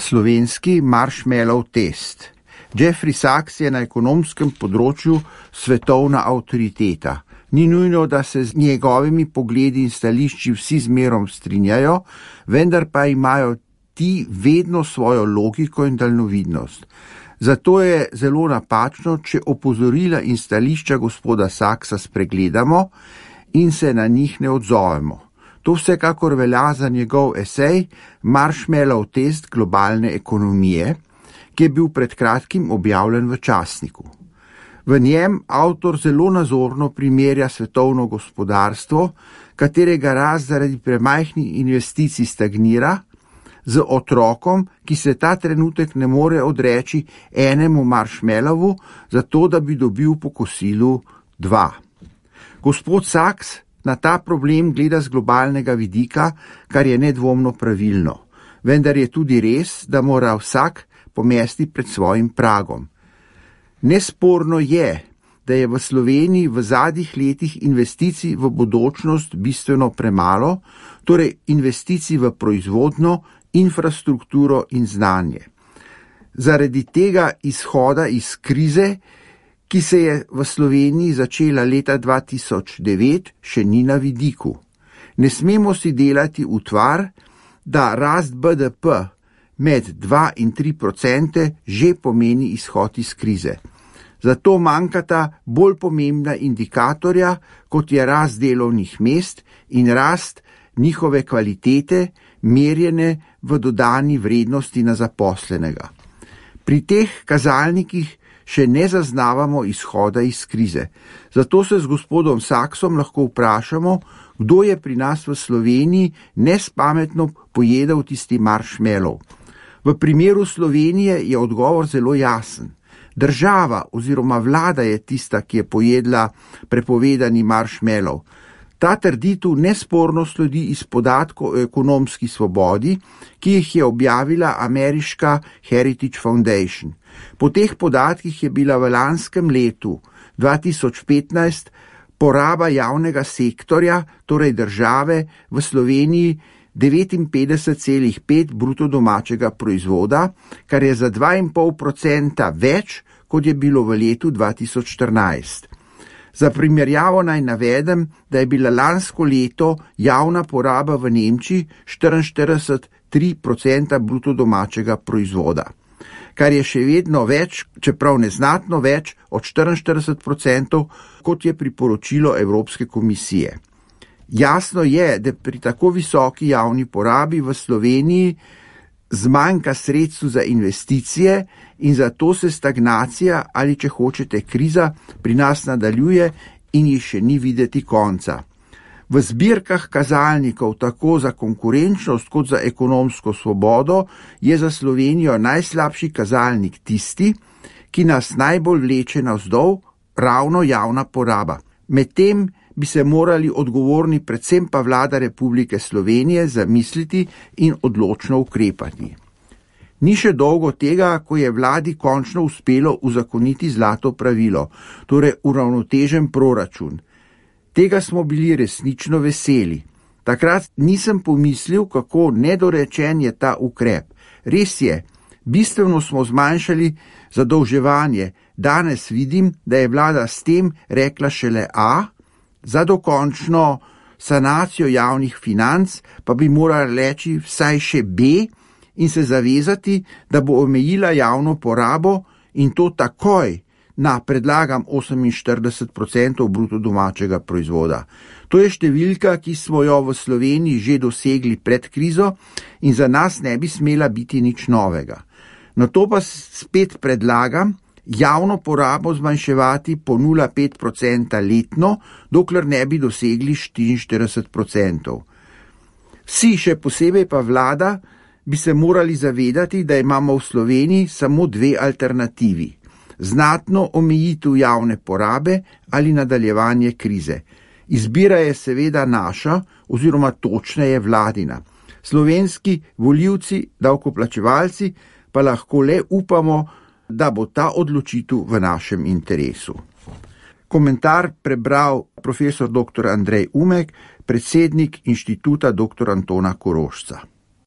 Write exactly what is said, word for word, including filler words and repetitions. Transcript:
slovenski marshmallow test. Jeffrey Sachs je na ekonomskem področju svetovna avtoriteta. Ni nujno, da se z njegovimi pogledi in stališči vsi zmerom strinjajo, vendar pa imajo ti vedno svojo logiko in daljnovidnost. Zato je zelo napačno, če opozorila in stališča gospoda Sachsa spregledamo in se na njih ne odzovemo. To vsekakor velja za njegov esej Marshmallow test globalne ekonomije, ki je bil pred kratkim objavljen v časniku. V njem avtor zelo nazorno primerja svetovno gospodarstvo, katerega rast zaradi premajhnih investicij stagnira, z otrokom, ki se ta trenutek ne more odreči enemu marshmallowu, zato da bi dobil po kosilu dva. Gospod Sachs na ta problem gleda z globalnega vidika, kar je nedvomno pravilno. Vendar je tudi res, da mora vsak pomesti pred svojim pragom. Nesporno je, da je v Sloveniji v zadnjih letih investicij v bodočnost bistveno premalo, torej investicij v proizvodno, infrastrukturo in znanje. Zaradi tega izhoda iz krize, ki se je v Sloveniji začela leta dva tisoč devet, še ni na vidiku. Ne smemo si delati utvar, da rast B D P med dva in tri odstotke že pomeni izhod iz krize. Zato manjkata bolj pomembna indikatorja, kot je rast delovnih mest in rast njihove kvalitete, merjene v dodani vrednosti na zaposlenega. Pri teh kazalnikih še ne zaznavamo izhoda iz krize. Zato se z gospodom Sachsom lahko vprašamo, kdo je pri nas v Sloveniji nespametno pojedel tisti marshmallow. V primeru Slovenije je odgovor zelo jasen. Država oziroma vlada je tista, ki je pojedla prepovedani marshmallow. Ta trditev nesporno sledi iz podatkov o ekonomski svobodi, ki jih je objavila ameriška Heritage Foundation. Po teh podatkih je bila v lanskem letu dva tisoč petnajst poraba javnega sektorja, torej države, v Sloveniji devetinpetdeset celih pet bruto domačega proizvoda, kar je za dva in pol odstotka več, kot je bilo v letu dva tisoč štirinajst. Za primerjavo naj navedem, da je bila lansko leto javna poraba v Nemčiji štiriinštirideset celih tri odstotka bruto domačega proizvoda, kar je še vedno več, čeprav neznatno več od štiriinštirideset odstotkov, kot je priporočilo Evropske komisije. Jasno je, da pri tako visoki javni porabi v Sloveniji zmanjka sredstev za investicije in zato se stagnacija ali, če hočete, kriza pri nas nadaljuje in ji še ni videti konca. V zbirkah kazalnikov tako za konkurenčnost kot za ekonomsko svobodo je za Slovenijo najslabši kazalnik tisti, ki nas najbolj vleče navzdol, ravno javna poraba. Medtem bi se morali odgovorni predvsem pa vlada Republike Slovenije zamisliti in odločno ukrepati. Ni še dolgo tega, ko je vladi končno uspelo uzakoniti zlato pravilo, torej uravnotežen proračun. Tega smo bili resnično veseli. Takrat nisem pomislil, kako nedorečen je ta ukrep. Res je, bistveno smo zmanjšali zadolževanje. Danes vidim, da je vlada s tem rekla šele A, za dokončno sanacijo javnih financ pa bi morala reči vsaj še B in se zavezati, da bo omejila javno porabo in to takoj na, predlagam, oseminštirideset odstotkov bruto domačega proizvoda. To je številka, ki smo jo v Sloveniji že dosegli pred krizo in za nas ne bi smela biti nič novega. Na to pa spet predlagam, javno porabo zmanjševati po nula celih pet odstotka letno, dokler ne bi dosegli štiriinštirideset odstotkov. Vsi, še posebej pa vlada, bi se morali zavedati, da imamo v Sloveniji samo dve alternativi. Znatno omejitev javne porabe ali nadaljevanje krize. Izbira je seveda naša oziroma točneje vladina. Slovenski volivci, davkoplačevalci pa lahko le upamo, da bo ta odločitev v našem interesu. Komentar prebral profesor doktor Andrej Umek, predsednik Inštituta doktor Antona Korošca.